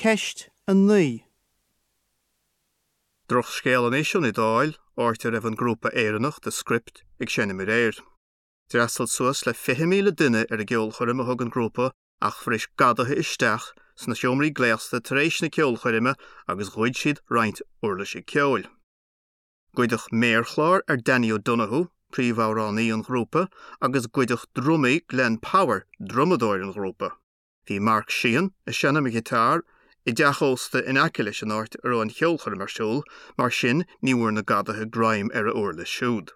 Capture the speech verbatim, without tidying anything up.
Ceist a naoi. Drochscéal anois ón Iodáil, áit a raibh an grúpa Éireannach The Script ag seinm aréir. D'fhreastail suas le fiche míle duine ar an gceolchoirm a thug an grúpa ach bhris gadaithe isteach sna seomraí gléasta tar éis na ceolchoirme agus ghoid siad roinnt uirlisí ceoil. Goideadh méarchlár ar Danny O'Donoghue, príomhamhránaí an ghrúpa, agus goideadh drumaí Glenn Power, drumadóir an ghrúpa. Bhí Mark Sheehan ag seinm an ghiotár i dteach ósta in aice leis an áit a raibh an cheolchoirm ar siúl, mar sin ní bhfuair na gadaithe greim ar a uirlis siúd.